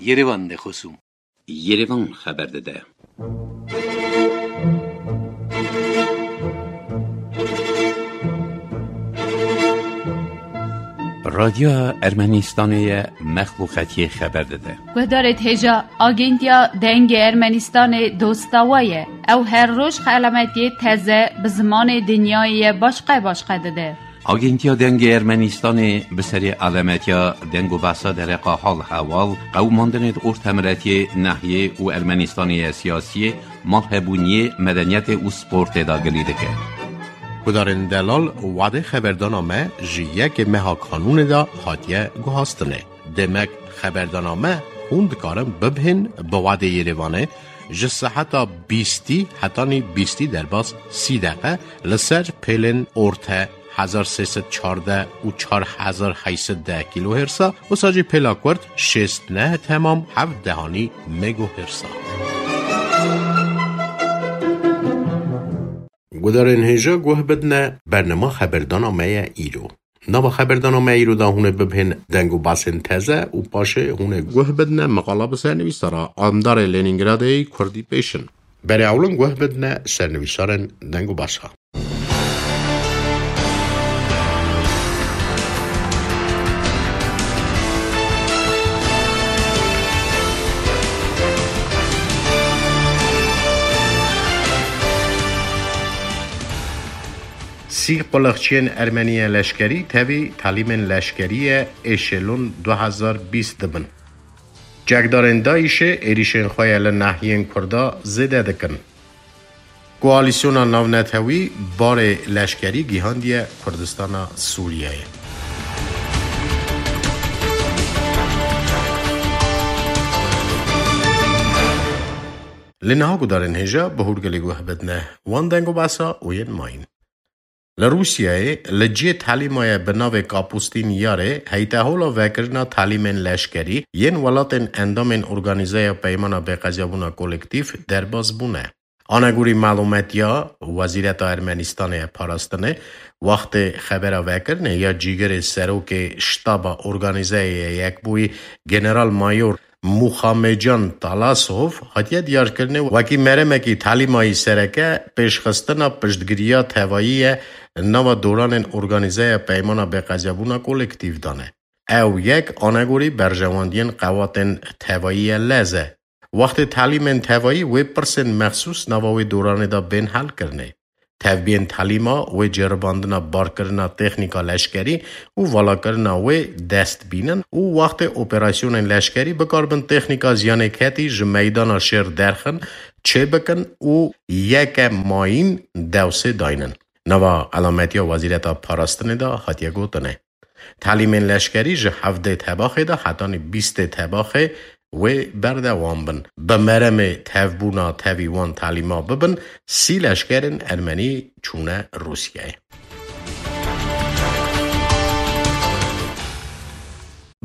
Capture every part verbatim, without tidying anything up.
Yerevan de xosûm. Yerevan xeber dide. Radyoya Ermenistanê ye, mexlûqetiyê xeber dide. Guhdarêt hêja, Agentiya Dengê Ermenistanê dosta we ye. Ew her roj xelametiyê teze bi zimanê dinyayê ye başqe başqe dide. Agentiya Dengê Ermenistanê bi serê alemetiya deng û behsa dereqa hal hewal, qewimandinê di ortemiretiyê, nehiyê û Ermenistanê ye siyasiyê, malhebûniyê, medeniyetê û sportê de gilî dike. Gudarên delal, wadê xeberdana me ji yekê meha kanûnê de hatiye guhastinê. Demek xeberdana me hûn dikarin bibihên bi wadê Yerevanê ji seheta bîstî hetanî bîstî derbas sî deqe li ser pêlên orte hezar sê sed çardeh û çar hezar heyt sed deh kîlohersa, wisa jî pêla kurt şêst neh temam heft dehanî megohersa. Gudarên hêja guh bidne, bernama xeberdana me ye îro. Nava xeberdana me îro da hûn ê bibihên deng û basên teze û paşê hûn ê guh bidne meqala bi sernivîsara Andarê Lenîngradê yê Kurdî pêşin. Berê ewlin guh bidne sernivîsarên deng û basa. Sî quliqçiyên Ermeniyê leşkerî tevî talîmên leşkerî ye Êşelûn du hezar bîst dibin. Çekdarên DAIŞê êrîşên xwe ye li nahiyên Kurda zêde dikin. Koalîsyona navnetewî barê leşkerî gihandiye Kurdistana Sûriyeyê. Li niha gudarên hêja bi hûrgilî guh bidne wan deng û basa û yên mayîn. Li Rûsyayê li cihê talîmaya bi navê Kapustîn Yarê heytehola vekirina talîmên leşkerî yên welatên endamên Organîzeya Peymana Bêqezabûna Kolektîf derbas bûne. Anegorî malûmetiya Wezîreta Ermenîstanê ya Parastinê, wextê xebera vekirinê ya cîgirê serokê Ştaba Organîzeyê ya Yekbûyî General Mayor Muxamecan Talasov hatiye diyarkirinê wekî meremekî talîmayî sereke pêşxistina piştgiriya tevayî ye nava doranên Organîzeya Peymana Bêqezabûna Kolektîf dane. Ew yek anegorî berjewendiyên qewatên tevayî ye lez e. Wextê talîmên tevayî wê pirsên mexsûs nava wê doranê de bên helkirinê. Tevbiyên talîma wê ceribandina barkirina teknîka leşkerî û valakirina wê dest bînin û wextê operasyonên leşkerî bikaribin teknîka ziyanêketî ji meydana şêr derxin, çêbikin û yeke mayîn dewsê daynin. Nava elametiya Wezîreta Parastinê de hatiye gotinê. Talîmên leşkerî ji hevdê tebaxê de hetanî bîstê tebaxê wê berdewam bin. Bi meremê tevbûna tevî wan talîma bibin, sî leşkerên ermenî çûne Rûsyayê.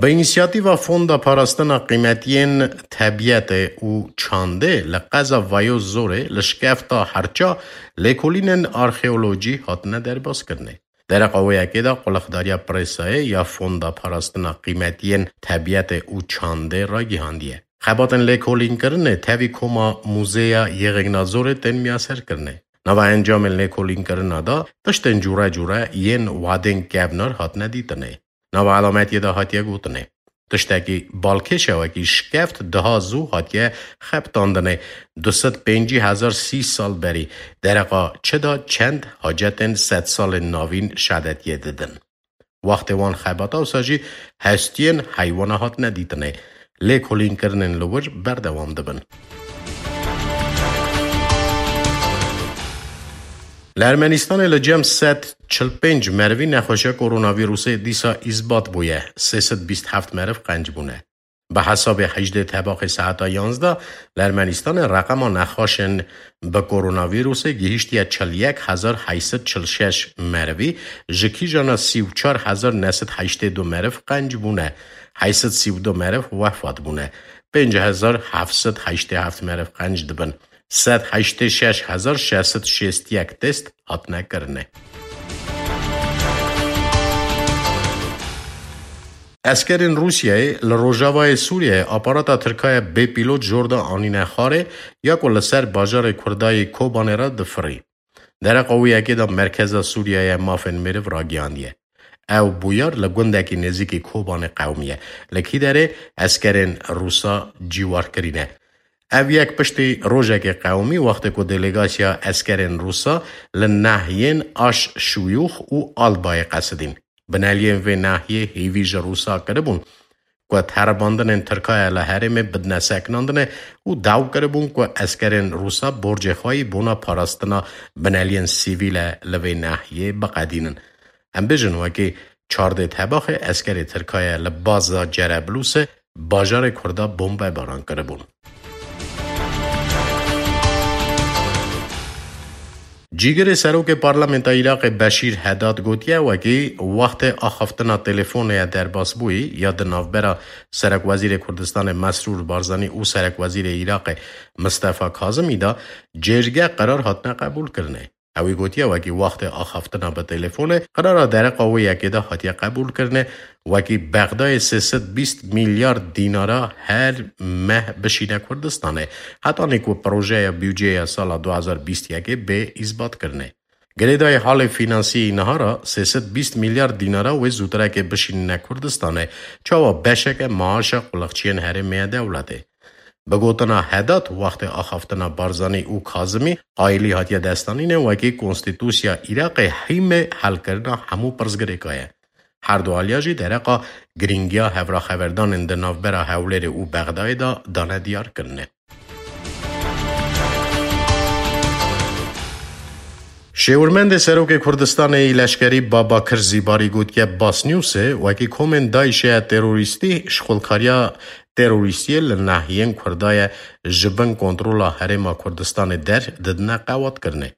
Bi înisiyatîva Fonda Parastina Qîmetiyên Tebiyetê û Çandê li qeza Vayo Zorê li şikefta Herça lêkolînên arxeolojî hatine derbas kirinê. Dereqa wê yekê de quliqdariya presayê ya Fonda Parastina Qîmetiyên Tebiyetê û Çandê ragihandiye. Xebatên lêkolînkirinê tevî koma Muzeya Yêxêkna Zorê tên miyaserkirinê. Nava encamên lêkolînkirina de tiştên cûre cûre yên wadên kevnar hatine dîtinê. Nava elametiye de hatiye gotinê. Tiştekî balkêş e wekî şikeft daha zû hatiye xebitandinê. Du sed pêncî hezar sî sal berî dereqa çi de çend hacetên sedsalên navîn şedetiyê didin. Wextê wan xebata wisa jî hestiyên heywana hatine dîtinê. Lêkolînkirinên li wir berdewam dibin. Li Ermenistanê li cem sed çil pênc merivî nexweşiya koronavîrusê dîsa îsbat bûye, sê sed bîst heft meriv qenc bûne. Bi hesabê hejdê tebaxê saeta yanzdeh li Ermenistanê reqema nexweşên bi koronavîrusê gihîştiye çil yek hezar heyt sed çil şeş merivî, ji kîjana sî û çar hezar neh sed heştê du meriv qenc bûne, heyt sed sî û du meriv wefat bûne, pênc hezar heft sed heştê heft meriv qenc dibin. Sed heştê şeş hezar şeş sed şêst yek test hatine kirinê. Eskerên Rûsyayê li rojavayê Sûriyeyê aparata Tirkaya bê pîlot jor de anîne xwarê ya ku li ser bajarê Kurdayê Kobanê re difirî. Dereqa wî yekê de Merkeza Sûriyeye Mafên Meriv ragihandiye. Ew bûyar li gundekî nêzîkî Kobanê qewimiye. Li kî derê eskerên Rûsa cîwar kirîne. Ev yek piştî rojekê qewimî, wextê ku delegasiya eskerên Rûsa li nahiyên Aş Şuyûx û Albayê qesidîn. Bineliyên vê nahiyê hêvî ji Rûsa kiribûn ku teribandinên Tirkaya li herêmê bidine sekinandinê û daw kiribûn ku eskerên Rûsa borcê xwe yî bona parastina bineliyên sivîl e li vê nahiyê biqedînin. Em bêjin wekî çardê tebaxê eskerê Tirkaya li baza Cereblûsê bajarê Kurda bombebaran kiribûn. Cîgirê Serokê Parlamenta Iraqê Beşîr Hedad gotiye, wekî wextê axaftina telefonê ye derbas bûyî ya di navbera Serekwezîrê Kurdistanê Mesrûr Barzanî û Serekwezîrê Iraqê Mistefa Kazimî de cêrge qerar hatine qebûlkirinê. Ewî gotiye, wekî wextê axaftina bi telefonê, qirara dereqa wê yekê de hatiye qebûlkirinê, wekî Bexdayê sê sed bîst milyar dînara her meh bişîne Kurdistanê, hetanî ku projeya bûdceya sala du hezar bîst yekê bê îsbatkirinê. Girêdayî halê fînansiyî niha re sê sed bîst milyar dînara wê zûtirekê bişînine Kurdistanê, çawa beşeke maaşa quliqçiyên herêmê ye dewletê. Bi gotina Hedat, wextê axaftina Barzanî û Kazimî qayilî hatiye destanînê wekî konstîtûsiya Iraqê hîmê helkirina hemû pirsgirêka ye. Her du aliya jî dereqa girîngiya hevraxeverdanên di navbera Hewlêrê û Bexdayê de dane diyarkirinê. Şêwirmendê Serokê Kurdistanê yî leşkerî Babakir Zîbarî gotiye, Basnewsê wekî komên DAIŞê ya terorîstî şixulkariya terorîstiyê li nahiyên Kurda ye ji bin kontrola Herêma Kurdistanê der didine qewatkirinê.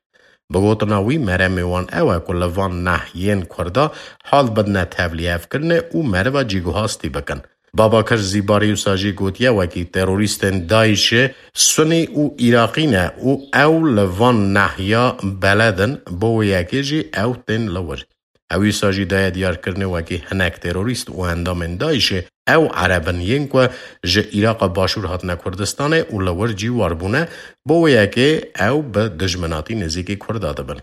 Bi gotina wî, meremê wan ew e ku li van nahiyên Kurda hal bidine tevlîhevkirinê û meriva cîguhastî bikin. Babakir Zîbarî wisa jî gotiye, wekî terorîstên DAIŞê Sunî û Iraqî ne û ew li van nahiya beled in, bo wê yekê jî ew tên li wir. Ew wisa jî daye diyarkirinê wekî hinek terorîst û endamên DAIŞê ew Ereb in yên ku ji Îraqa Başûr hatine Kurdistanê û li wir cîwar bûne, bo wê yekê ew bi dijminatî nêzîkî Kurda dibin.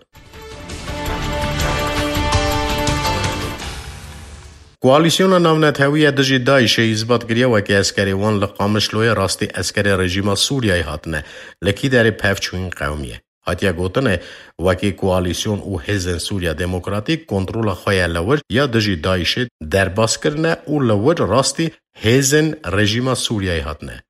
Koalîsyona Navnetewî ya dijî DAIŞê îsbat kiriye wekî eskerê wan li Qamişloyê rastî eskerê rejîma Sûriyeyê hatine, li kî derê pevçûyîn qewimiye. Hatiye gotinê, wekî koalîsyon û hêzên Sûriya Demokratîk kontrola xwe ya li wir ya dijî DAIŞê derbas kirine û li wir rastî hêzên rejîma Sûriyeyê hatine.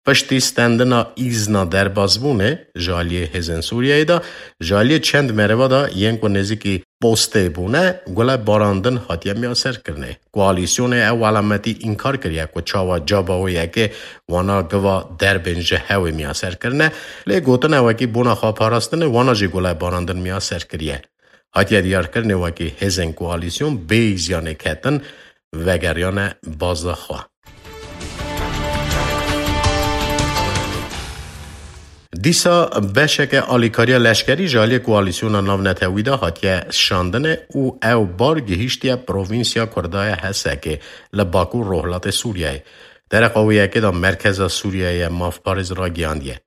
Piştî stendina îzna derbasbûnê ji aliyê hêzên Sûriyeyê de, ji aliyê çend meriva de yên ku nêzîkî postê bûne, gule barandin hatiye miyaserkirinê. Koalîsyonê ew alametî înkar kiriye ku çawa caba wê yekê wana giva derbên ji hewê miyaser kirine, lê gotine wekî bona xweparastinê wana jî gule barandin miyaser kiriye. Hatiye diyarkirinê wekî hêzên koalîsyon bêyî ziyanê ketin vegeriyane baza xwe. Dîsa beşeke alîkariya leşkerî ji aliyê Koalîsyona Navnetewî de hatiye şandine û ew bar gihîştiye provînsya Kurda ya Hesekê li bakur rojhilatê Sûriyeyê. Dereqa wê yekê de Merkeza Sûriyeyê Mafparêz ragihandiye.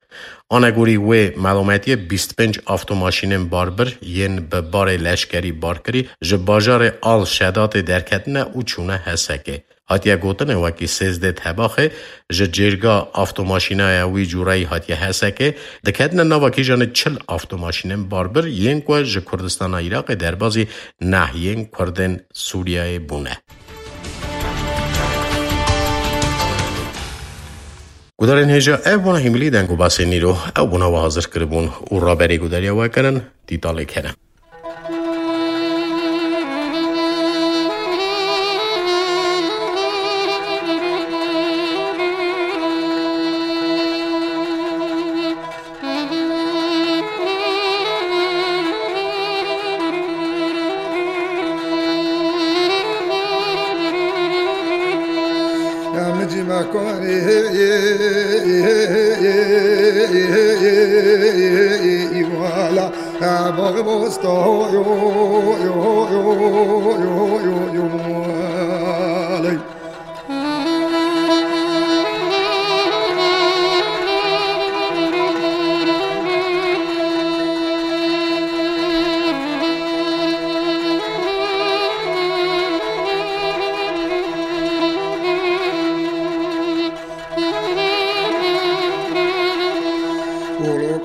Anegorî wê melometiyê bîst pênc avtomaşînên barbir yên bi barê leşkerî barkirî ji bajarê Al Şedatê derketine û çûne Hesekê. Hatiye gotinê wekî sêzdeh Tebaxê ji cêrga avtomaşînaya wî cûreyî hatiye Hesekê, diketine nava kîjanê çil avtomaşînên barbir yên ku ji Kurdistana Iraqê derbazî nahiyên Kurdên Sûriyeyê bûne. Gudarên hêja, ev bûna hîmilî deng û basên îro. Ew bûna we hazir kiribûn û raberê gudariya we kirin, Dîtalê Kerem.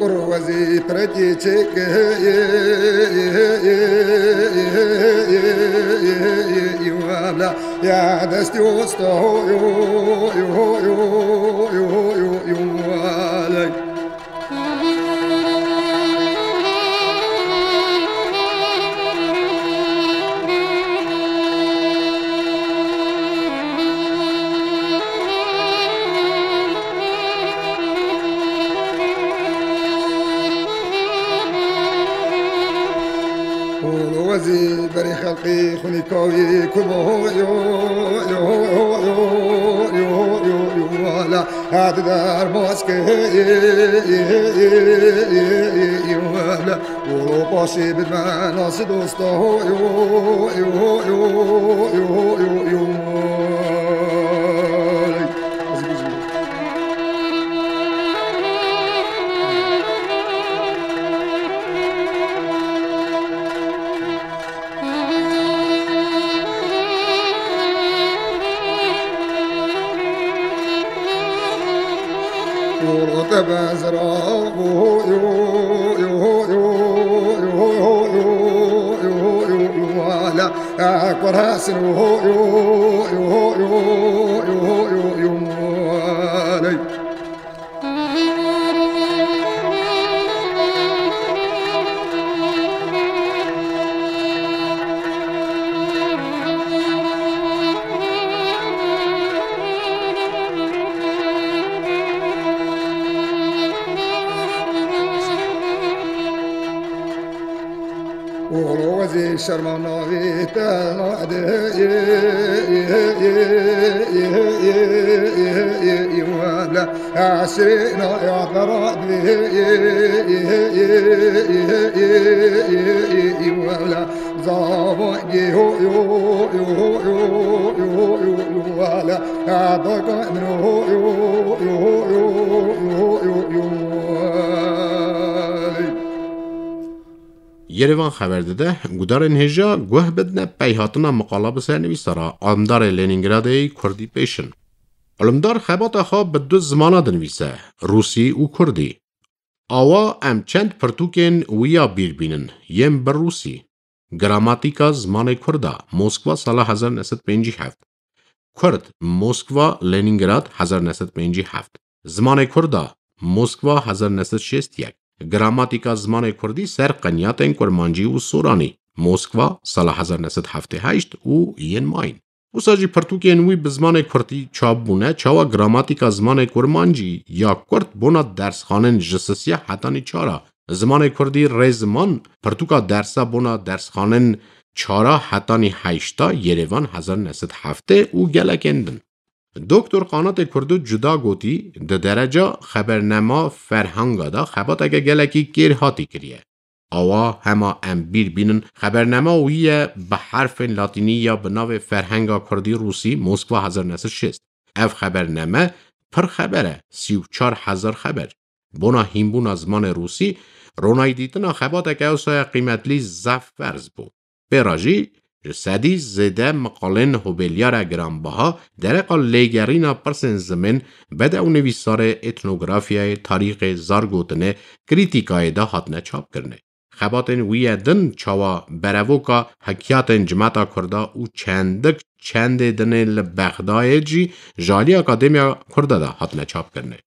Wezî pirekî çêkê wala ya destî osta ho yo yo yo yo yo yo yo walay. Wezî berî xelqî xunî kawî kumo yo yo yo yo yo yo yo wala. Hadi dermaske wala. Wolo paşê bidme nasî dosta ho yo yo yo yo yo yo yo. Oğlu wezî şerma navî te nade. Wala esrê naya te radê. Wala zavangê ho yo yo yo yo yo yo yo wala. Adaka min ho yo yo yo yo yo yo yo wala. Yerevan xeber dide, gudarên hêja guh bidine peyhatina miqala bi sernivîsara alimdarê Lenîngradê yê Kurdî pêşin. Alimdar xebata xwe bi du zimana dinivîse, Rûsî û Kurdî. Awa em çend pirtûkên wî ya bîr bînin, yên bi Rûsî. Gramatîka zimanê Kurda, Moskva, sala hezar neh sed pêncî heft. Kurd, Moskva, Lenîngrad, hezar neh sed pêncî heft. Zimanê Kurda, Moskva, hezar neh sed şêst yek. Gramatîka zimanê Kurdî ser qenyatên Kurmancî û Soranî, Moskva, sala hezar neh sed heftê heşt û yên mayîn. Wisa jî pirtûkên wî bi zimanê Kurdî çap bûne, çawa gramatîka zimanê Kurmancî ya Kurd bona dersxanên ji sisiya hetanî çara, zimanê Kurdî rêziman, pirtûka dersa bona dersxanên çara hetanî heşta, Yerevan, hezar neh sed heftê û gelekên din. Doktor Qanatê Kurdo cuda gotî, di dereca xebernema ferhanga de xebateke gelekî kêrhatî kiriye. Awa hema em bîr bînin, xebernema wî ye bi herfên latînî ya bi navê Ferhenga Kurdî Rûsî, Moskva, hezar neh sed şêst. Ev xeberneme pir xeber e, sî û çar hezar xeber. Bona hînbûna zimanê rûsî, ronayî dîtina xebateke ewsaya qîmetlî zaf ferz bû. Pê re jî ji sedî zêde miqalên hobêlyara giranbiha dereqa lêgerîna pirsên zimên, bedewnivîsarê, etnografyayê, tarîxê, zargotinê, krîtîkayê de hatine çapkirinê. Xebatên wî yê din çawa berevoka hekiyatên cimeta Kurda û çendik çendê dinê li Bexdayê jî ji alî Akademiya Kurda de hatine çapkirinê.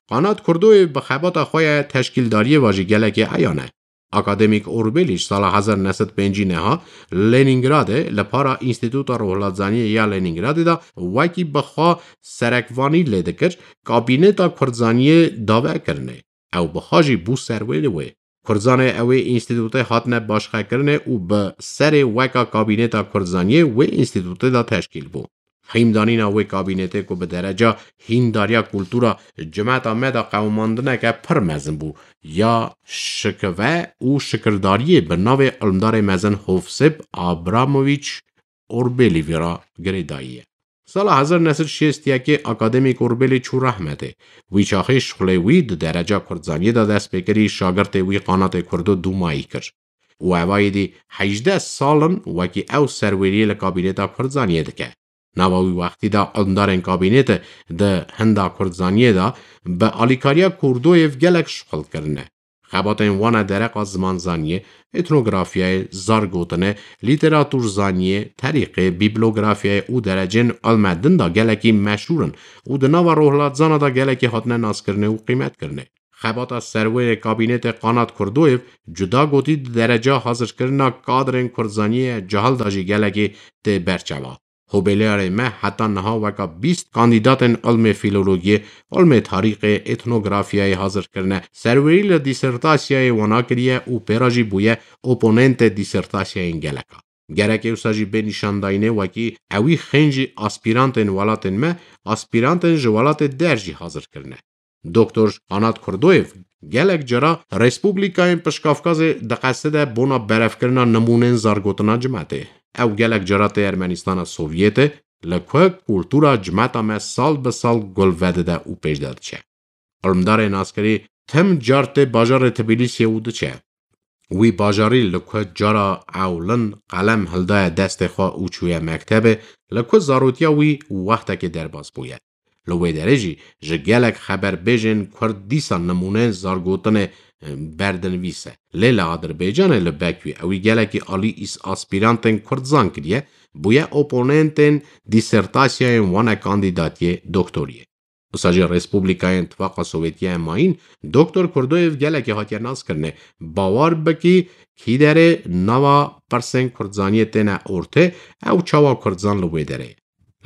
Qanat Kurdoyê bi xebata xwe ye teşkîldariyê ve jî gelekî eyan e. Akademîk Orbelî ji sala hezar neh sed pêncî neha Lenîngradê li para Înstîtuta Rohlatzaniyê ya Lenîngradê de wekî bi xwe serekvanî lê dikir, kabîneta Kurdzaniyê dave kirinê. Ew bi xwe jî bû serwêrê wê. Kurdzanê ew ê înstîtûtê hatine başqekirinê û bi serê weka kabîneta Kurdzaniyê wê înstîtûtê de teşkîl bû. Hîmdanîna wê kabînetê ku bi dereca hîndariya kultura cimeta me de qewimandineke pir mezin bû, ya şikive û şikirdariyê bi navê ilimdarê mezin Hovsêp Abramovîç Orbelî vê re girêdayî ye. Sala hezar neh sed şêst yekê akademîk Orbelî çû rehmetê. Wî çaxê şixulê wî di dereca kurdzaniyê de dest pê kirî, şagirtê wî Qanatê Kurdo dûmayî kir. Û evayî dî hejdeh sal in wekî ew serwêriyê li kabîneta kurdzaniyê dike. Nava wî wextî de ilmdarên kabînetê di hinda kurdzaniyê de bi alîkariya Kurdoyêv gelek şixul kirine. Xebatên wan e dereqa zimanzaniyê, etnografyayê, zargotinê, lîteraturzaniyê, terîqê, bîblografyayê û derecên ilme din de gelekî meşhûr in û di nava rohilatzana de gelekî hatine naskirinê û qîmetkirinê. Xebata serwêrê kabînetê Qanat Kurdoyev cuda gotî di dereca hazirkirina kadrên kurdzaniyê cahil de jî gelekî tê berçava. Hobeliyarê me heta niha weka bîst kandîdatên ilmê fîlologiyê, ilmê tarîxê, etnografyayê hazir kirine, serwerî li dîsertasyayê wana kiriye û pê re jî bûye oponentê dîsertasyayên geleka. Gerek ê wisa jî bê nîşandayînê wekî ewî xêncî aspîrantên welatên me, aspîrantên ji welatê der jî hazir kirine. Doktor Anat Kurdoyev gelek cara Respublikayên Pişkafkazê diqeside bona berevkirina nimûnên zargotina cimetê. Ew gelek cara tê Ermenistana Sovyetê, li ku kultura cimeta me sal bi sal gul vedide û pêş de diçe. Ilmdarê naskirî tim car tê bajarê Tbilîsiyê û diçe. Wî bajarî li ku cara ewlin qelem hildaye destê xwe û çûye mektebê, li ku zarotiya wî wextekê derbas bûye. Li wê derê jî ji gelek xeberbêjên kurd dîsa nimûneyên zargotinê, e, berdinvîs e. Lê li Adirbaycanê li Bekûyê ewî gelekî alî îs-, aspîrantên kurdzan kiriye, bûye oponentên dîsertasyayên wan e kandîdatiyê doktoriyê. Wisa jî Respublikayên Tifaqa Sovyetiyê Mayîn, Doktor Kurdoyev gelekî hatiye naskirinê. Bawer bikî, kî derê nava pirsên kurdzaniyê têne ortê, ew çawa kurdzan li wê derê ye.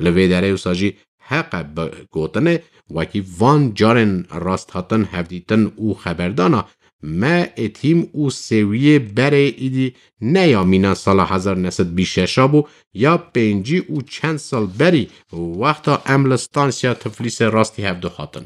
Li vê derê wisa jî heq e bi gotinê, wekî van carên rasthatin, hevdîtin û xeberdana me êtîm û sêwiyê berê îdî ne ya mîna sala hezar neh sed bîst şeş a bû, ya pêncî û çend sal berî wexta em li stansiya Tiflîsê rastî hev dihatin.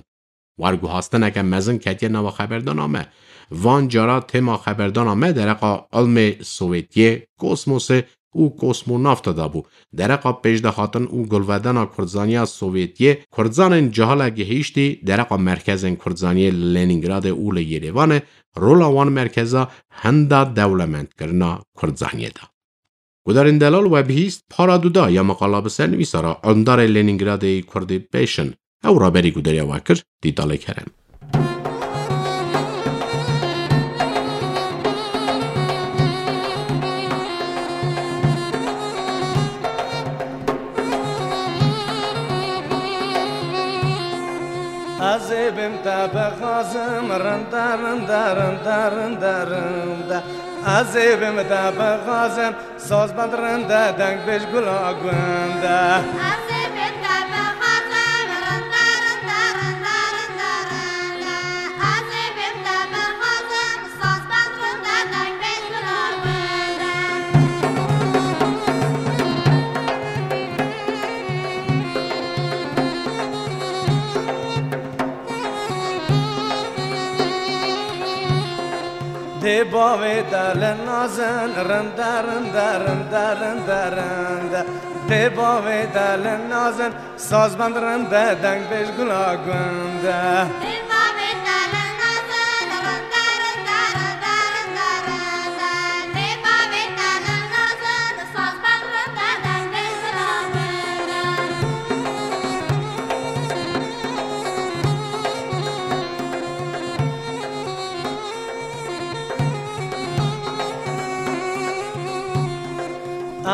Werguhastineke mezin ketiye nava xeberdana me. Van cara tema xeberdana me dereqa ilmê Sovyetiyê, kosmosê û kosmonavta de bû. Dereqa pêşdehatin û gulvedena kurdzaniya Sovyetiyê, kurdzanên cahile gihîştî dereqa merkezên kurdzaniyê li Lenîngradê û li Yerêvanê, rola wan merkeza hinda dewlemendkirina kurdzaniyê de. Gudarên delal we bihîst para duda ya meqala bi ser nivîsara ilmdarê Lenîngradê yê Kurdî pêşin. Ew raberî gudariya we kir, Dîtalê Kerem. Ez ê bim te bixwazim, rinda, rinda, rinda, rinda, rinda. Ez ê bim te bixwazim, sazbend rinda, dengbêj gula gunda. Ez ê bim te bixwazim, rinda, rinda, rinda, rinda, rinda. Ez ê bim te bixwazim, sazbend rinda, dengbêj gula gunda. Dê bavê te li nazin, rinda, rinda, rinda, rinda, rinda. Dê bavê te li nazin, sazbend rinda, dengbêj gula gunda. Dê bavê te li nazin, rinda, rinda, rinda, rinda, rinda. Dê bavê te li nazin, sazbend rinda, dengbêj gula gunda.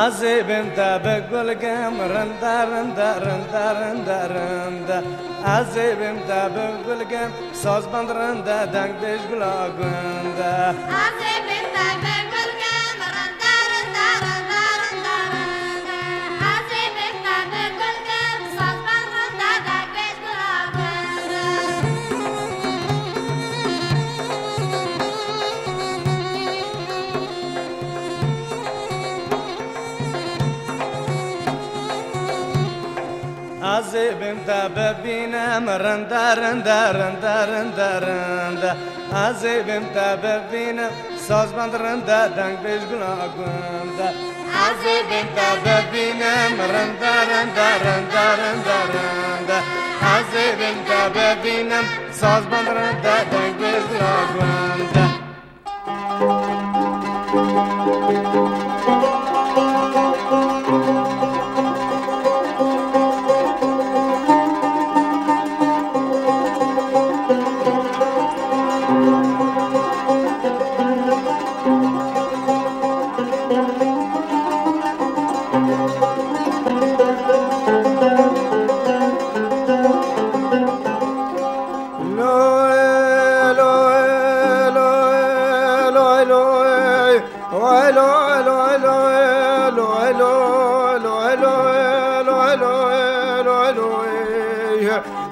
Ez ê bim te bi gulgim, rinda, rinda, rinda, rinda, rinda. Ez ê bim te bi gulgim, sazbend rinda, dengbêj gula gunda. Ez ê bim te bi gulgim, rinda, rinda, rinda, rinda, rinda. Ez ê bim te bi gulgim, sazbend rinda, dengbêj gula gunda. Ez ê bim te bibînim, rinda, rinda, rinda, rinda, rinda. Ez ê bim te bibînim, sazbend rinda, dengbêj gula gunda. Ez ê bim te bibînim, rinda, rinda, rinda, rinda, rinda. Ez ê bim te bibînim, sazbend rinda, dengbêj gula gunda.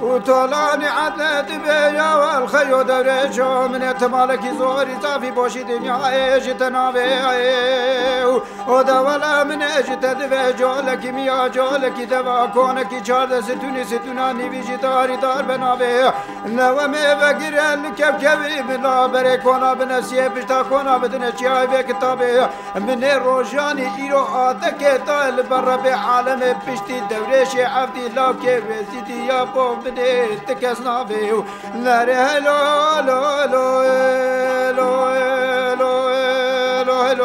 Û tolanî edle dibe ya wel xeyo dewrêşo, min ê ti malekî zorî zafî boşî dinyayê ji te navê. Û de wela min ê ji te dibe colekî miya colekî deva konekî çardeh situnî situna nîvî jî darî dar be navê. Newemê vegire li kevkevî bila berê kona binesiyê pişta kona bidine çiyayê vê kitabê. Min ê rojanî îro atekê da li ber Rebê alemê piştî dewrêşê evdî lawkê wêzîdî ya bo min ê ti kes navê û nerê helo, helo, helo, helo, helo,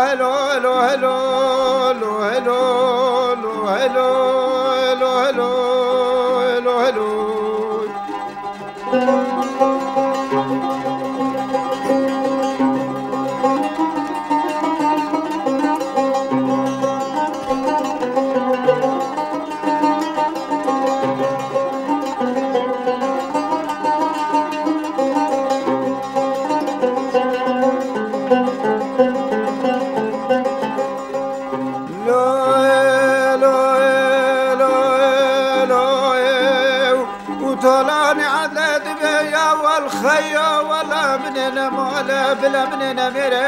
helo, helo, helo. Lo, lo, lo, lo, lo, û tolanî edle dibe ya wel xeyo, wela min ê ne male, bila min ê ne mêre.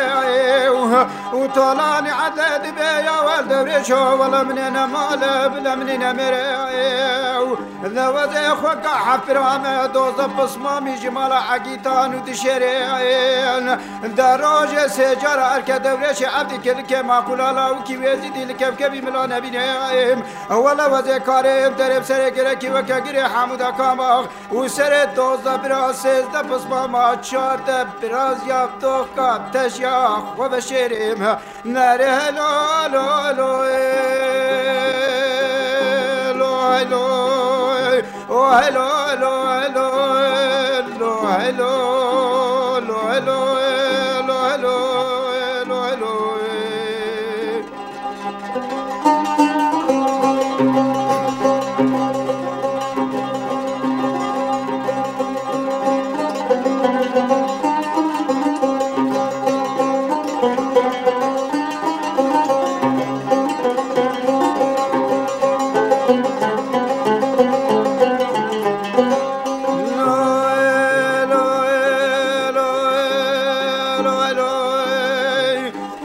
Û tolanî edle dibe ya wel dewrêşo, wela min ê ne male, bila min ê ne mêre. Û de wezê xwe ka hepirame doze pismamî ji mala egîtan û dişêrên. De rojê sê cara erke dewrêşê evdî kilikê maqûla lawikî wêzîdî li kevkevî mila nebîne. Wele wezê karê derê bi serê girekî weke girê hemûda kamax û serê dozde bira sêzde pismama çarde biraz ya doxka teşya xwe veşêrê. Nerê helo, helo, helo, ê, lo, helo, ê, o, helo, helo, helo, ê, lo, helo, lo, helo, ê, lo, helo, ê, lo, helo, ê.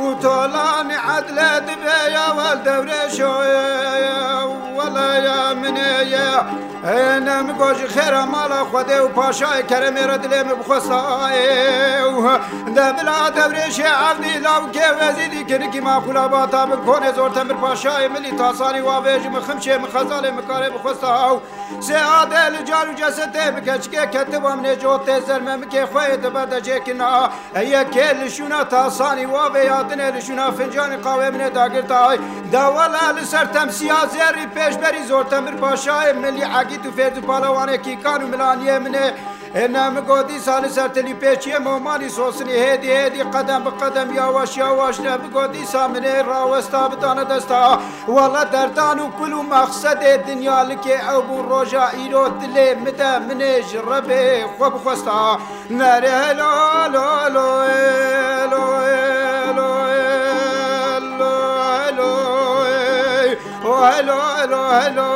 Û tolanî edle dibe ya wel dewrêşo ye, wele ya min ê ye. Ê, ne min got ji xêra mala Xwedê û paşayê keremê re dilê min bixwesta. Ê, û de bila dewrêşê evdî lawkê wezîdî kinikî maqûla bata bin konê zor temir paşayê milî tasanî wavê ji min ximşê min xezalê min karê bixwesta. Sê adê li car û cesetê bi keçikê ketiba min ê cotê zermemikê xwe yê dibe decêkina. Yekê li şûna tasanî wavê ya dinê li şûna fincanî qawê min ê dagirtay. De wela li ser temsiya zêrî pêşberî Zortemir Paşayê milî egît û fêrz û palawanê kîkan û milaniyê min ê. Ê ne min got dîsa li ser tilî pêçiyê momanî sosinî hêdî hêdî qedem bi qedem yawaş yawaş ne min got dîsa min ê rawesta bidane desta. Wela derdan û kul û mexsedê dinya likê ew bû roja îro dilê min de min ê ji Rebê xwe bixwesta. Nerê helo, helo, helo, ê, helo, ê, helo, helo, helo, ê. O helo, helo, helo,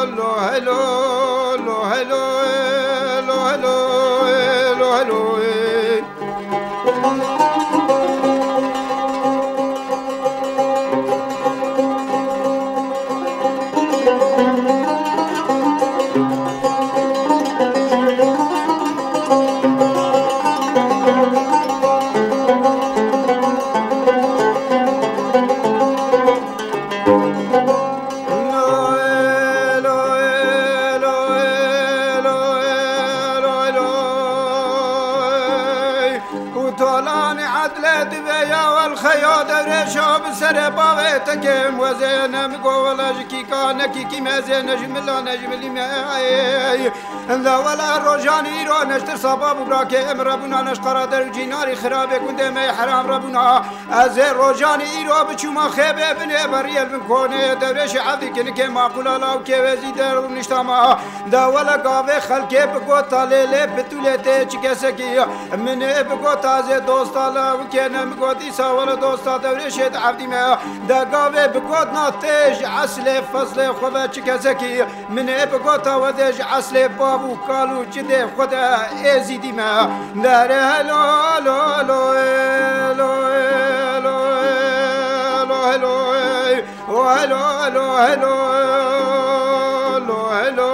helo, helo, helo, helo, ê, helo, helo, helo, helo, ê. Û tolanî edlê divê ya welxeya dewrêşa bi serê bavê tekim wezê ne mi go wela ji kîka ne kîkî me zê ne ji mila ne ji milî me. Enda wela rojanî îro ne ji tirsa bav û birakê em rebûna ne ji qara der û cînarî xirabê gundê me yê heram rebûna. Ez ê rojanî îro biçûma xêbê binê beriyel bin konê dewrêşê evdî kinikê maqûla lawkê wê zî der û niştama. Da wele gavê xelkê bi gota lê lê pitûlê tê çi kesekî. Min ê bi gota zê dosta lawikê ne mi got îsa wele dosta dewrêşê di ev Dîme de gavê bi got na tê ji eslê fezlê xwe ve çi kesekî min ê bi gota we dê ji eslê bav û kal û cidê xwe de êzîdî me. Dere helo, helo, helo, helo, helo, helo, helo, helo, helo, helo, helo, helo,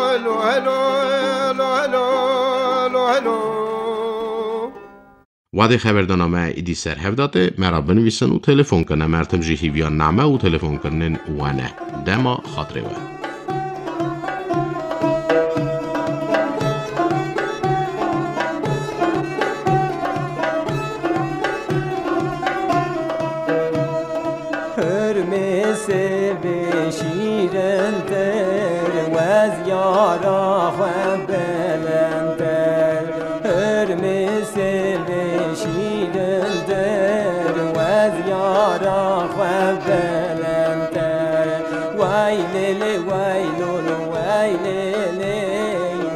helo, helo, helo, helo, helo. Wadê xeberdana me îdî ser hev datê, me re binivîsin û telefon kin. Em her tim jî hîviya name û telefonkirinên we ne. Dema xatirê we. Hurmê sêvê şîrintir, wez yara xwe belendtir. Hurmê sêvê şîrintir, wez yara xwe belendtir. Way lê lê, way lo lo, way lê lê,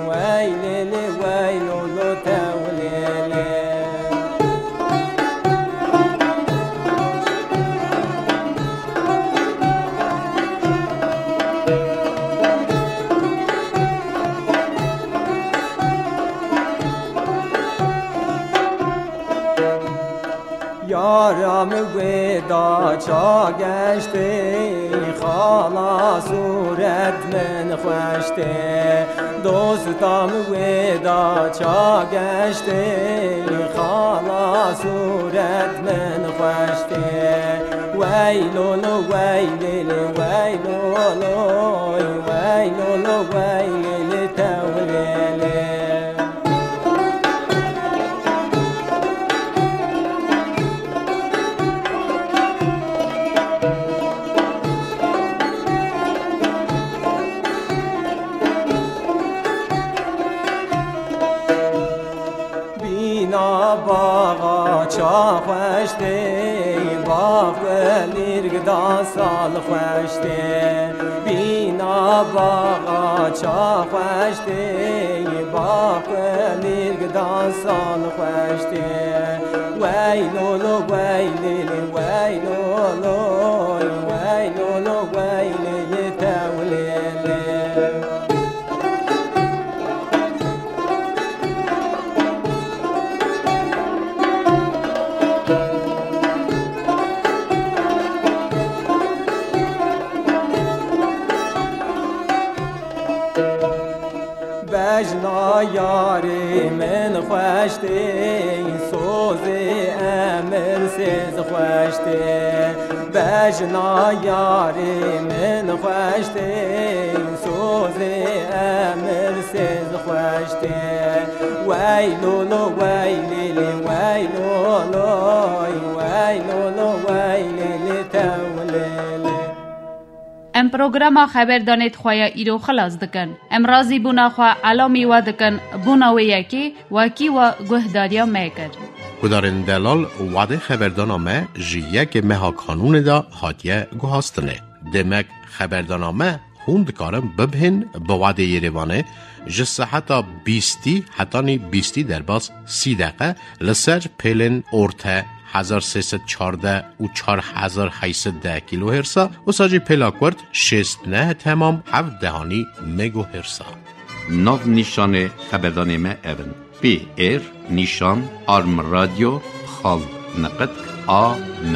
way lê lê, way lo lo, tew lê lê. Yara min wê da ça geştê, xala sûret min xweş tê. Dosta min wê da ça geştê, xala sûret min xweş tê. Wey lo lo, wey lê lê, wey lo lo, wey lo lo, wey lê lê, tew lê lê. Bîna baxa ça xweş tê, bax kulîrk da sal xweş tê. Bîna baxa ça xweş tê, bax kulîrk da sal xweş tê. Wey lo lo, wey lê lê, wey lo lo, wey lo lo, wey lê lê, tew lê lê. Bejna yarê min xweş tê, sozê emir sêz xweş tê. Bejna yarê min xweş tê, sozê emir sêz xweş tê. Wey lo lo, wey lê lê, wey lo lo, wey lo lo, wey lê lê, tew lê lê. Em programa xeberdanê di xwe ya îro xilas dikin. Em razîbûna xwe elamî we dikin, bûna wê yekê wekî we guhdariya me kir. Guhdarên delal, wadê xeberdana me ji yekê meha Kanûnê de hatiye guhastinê. Demek xeberdana me hûn dikarin bibihên bi wadê Yerêvanê ji seheta bîstî hetanî bîstî derbas sî deqe li ser pêlên orte hezar sê sed çardeh û çar hezar heyt sed deh kîlohêrsa, wisa jî pêla kurt şêst neh temam heft dehanî megohêrsa. Nav nîşanê xeberdanê me ev in: P R nîşan arm radio xal niqitk a m.